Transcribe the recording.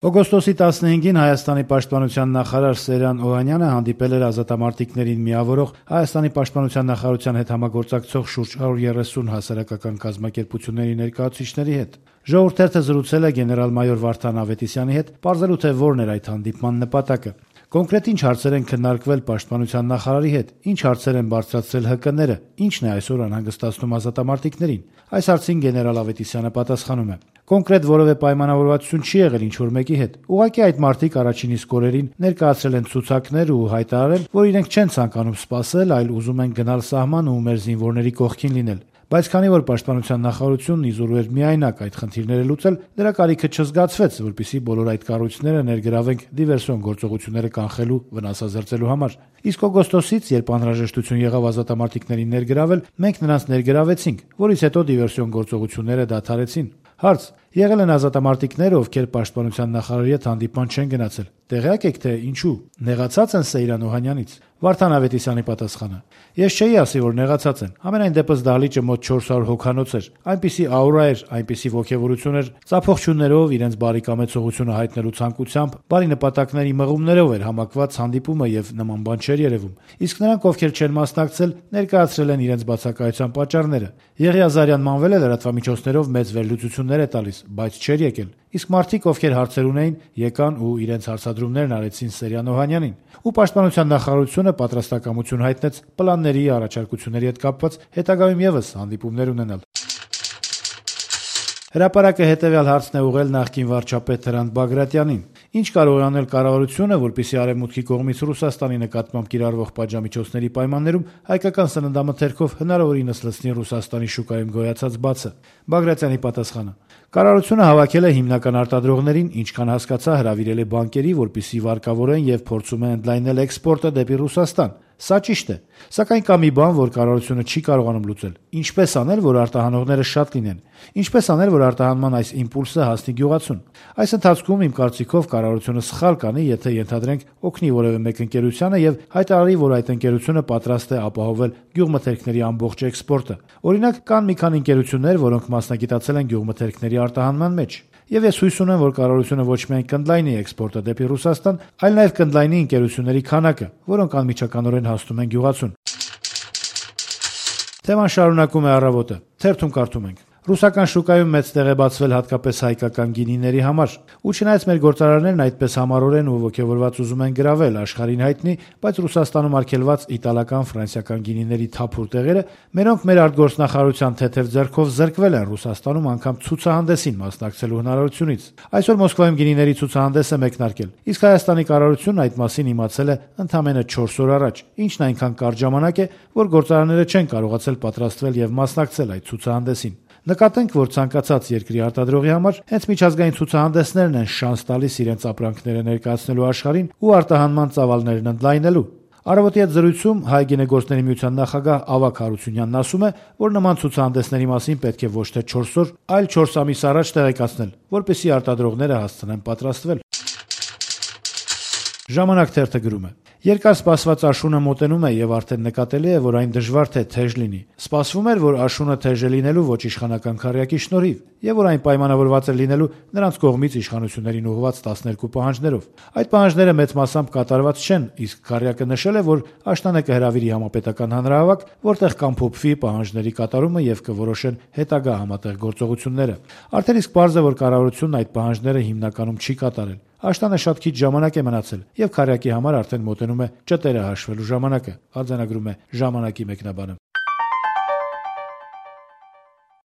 Օգոստոսի 15-ին Հայաստանի պաշտպանության նախարար Սերժան Օհանյանը հանդիպել էր ազատամարտիկներին միավորող Հայաստանի պաշտպանության նախարարության հետ համագործակցող շուրջ 130 հասարակական կազմակերպությունների ներկայացուցիչների հետ։ «Ժողովուրդ» թերթը զրուցել է գեներալ-մայոր Վարդան Ավետիսյանի հետ, պարզելու թե որն էր այդ հանդիպման նպատակը։ Կոնկրետ ինչ հարցեր են քննարկվել պաշտպանության նախարարի հետ, ինչ հարցեր են բարձրացրել ՀԿ-ները, ինչն է այսօր անհանգստացնում ազատամարտիկներին։ Այս հարցին գեներալ Ավետիսյանը պատասխանում է. «Կոնկրետ որևէ պայմանավորվածություն չի եղել ինչ-որ մեկի հետ։ Ուղղակի այդ մարդիկ առաջին իսկ օրերին ներկայացրել են ցուցակներ ու հայտարարել, որ իրենք չեն ցանկանում սպասել, այլ ուզում են գնալ սահման ու մեր զինվորների կողքին լինել։ Բայց քանի որ պաշտպանության նախարարությունն իզուր էր միայնակ այդ խնդիրները լուծել, դրա կարիքը չզգացվեց, որպեսզի բոլոր այդ կառույցները ներգրավենք դիվերսիոն գործողությունները կանխելու, վնասազերծելու համար։ Իսկ օգոստոսից, երբ անհրաժեշտություն եղավ ազատամարտիկներին ներգրավել, մենք նրանց ներգրավեցինք, որից հետո դիվերսիոն գործողությունները դադարեցին»։ Հարց. եղել են ազատամարտիկներ, ովքեր պաշտպանության նախարարի հետ հանդիպման չեն գնացել։ Տեղյակ եք, թե ինչու։ Նեղացած են Սեյրան Օհանյանից։ Վարդան Ավետիսյանի պատասխանը. «Ես չէի ասի, որ նեղացած են։ Համենայն դեպս դահլիճը մոտ 400 հոգանոց էր։ Այնպիսի աուրա էր, այնպիսի ոգևորություն էր, ծափողջույններով, իրենց բարի կամեցողությունը հայտնելու ցանկությամբ, բարի նպատակների մղումներով էր համակված հանդիպումը եւ նման բան չէր երևում։ Իսկ նրանք, ովքեր չեն մասնակցել, ներկայացրել են իրենց բացակայության պատճառները։ Եղիազարյան մանվել է լրատվամիջոցներով մեծ վերլուծություններ է տալիս, բայց չէր եկել։ Իսկ մարդիկ, ովքեր հարցեր ունեին, եկան ու իրենց հարցադրումներն արեցին Սերժան Օհանյանին։ Ու պաշտպանության նախարարությունը պատրաստակամություն հայտնեց պլանների, առաջարկությունների հետ կապված հետագայում եւս հանդիպումներ ունենալ»։ Հրապարակը հետեւյալ հարցն է ուղղել նախկին վարչապետ Հրանտ Բագրատյանին. «Ինչ կարող է անել կառավարությունը, որպեսզի արևմուտքի կողմից Ռուսաստանի նկատմամբ կիրառվող պատժամիջոցների պայմաններում հայկական սննդամթերքով հնարավորինս լցնի Ռուսաստանի շուկայում գոյացած բացը»։ Բագրատյանի պատասխանը. «Կառավարությունը հավաքել է հիմնական արտադրողներին, ինչքան հասկացա, հրավիրել է բանկերի, որպեսզի վարկավորեն եւ փորձում է ընդլայնել էքսպորտը դեպի Ռուսաստան։ Սա ճիշտ է, սակայն կա մի բան, որ կառավարությունը չի կարողանում լուծել. ինչպես անել, որ արտահանողները շատ լինեն, ինչպես անել, որ արտահանման այս իմպուլսը հասնի գյուղացուն։ Այս ընթացքում, իմ կարծիքով, կառավարությունը սխալ կանի, եթե ենթադրենք օգնի որևէ մեկ ընկերությանը եւ հայտարարի, որ այդ ընկերությունը պատրաստ է ապահովել գյուղմթերքների ամբողջ էքսպորտը։ Օրինակ, կան մի քանի ընկերություններ, որոնք մասնագիտացել են գյուղմթերքների արտահանման մեջ։ Եվ ես հույս ունեմ, որ կառավարությունը ոչ միայն կընդլայնի էքսպորտը դեպի Ռուսաստան, այլ նաև կընդլայնի ընկերությունների քանակը, որոնք անմիջականորեն հասնում են գյուղացուն»։ Թեման շարունակում է «Առավոտը»։ Թերթում կարդում ենք. «Ռուսական շուկայում մեծ տեղ է բացվել հատկապես հայկական գինիների համար։ Ու չնայած մեր գործարաններն այդպես համառորեն ու ոգևորված ուզում են գրավել աշխարհին հայտնի, բայց Ռուսաստանում արգելված իտալական, ֆրանսիական գինիների թափուր տեղերը, մերոնք մեր արտգործնախարարության թեթև ձեռքով զրկվել են Ռուսաստանում անգամ ցուցահանդեսին մասնակցելու հնարավորությունից։ Այսօր Մոսկվայում գինիների ցուցահանդես է մեկնարկել, իսկ Հայաստանի կառավարությունն այդ մասին իմացել է ընդամենը 4 օր առաջ, ինչն այնքան կարճ ժամանակ է, որ գործարանները չեն կարողացել պատրաստվել եւ մասնակցել այդ ցուցահանդեսին։ Նկատենք, որ ցանկացած երկրի արտադրողի համար հենց միջազգային ցուցահանդեսներն են շանս տալիս իրենց ապրանքները ներկայացնելու աշխարհին ու արտահանման ծավալներն ընդլայնելու։ Առավոտի հետ զրույցում Հայ գինեգործների միության նախագահ Ավագ Հարությունյանն ասում է, որ նման ցուցահանդեսների մասին պետք է ոչ թե 4 օր, այլ 4 ամիս առաջ տեղեկացնել, որպեսզի արտադրողները հասցնեն պատրաստվել։ Ժամանակ թերթը գրում է. «Երկար սպասված աշունը մոտենում է եւ արդեն նկատելի է, որ այն դժվար թե թեժ լինի։ Սպասվում էր, որ աշունը թեժ է լինելու ոչ իշխանական քառյակի շնորհիվ եւ որ այն պայմանավորված է լինելու նրանց կողմից իշխանություններին ուղղված 12 պահանջներով։ Այդ պահանջները մեծ մասամբ կատարված չեն, իսկ քառյակը նշել է, որ աշնանը կհրավիրի համապետական հանրահավաք, որտեղ կամփոփվի պահանջների կատարումը եւ կորոշեն հետագա համատեղ գործողությունները։ Արդեն իսկ պարզ է, որ կառավարությունն այդ պահանջները հիմնականում չի կատարել։ Աշտանը շատ քիչ ժամանակ է մնացել եւ քառյակի համար արդեն մոտենում է ճտերը հաշվելու ժամանակը», արձանագրում է «Ժամանակ»-ի մեկնաբանը։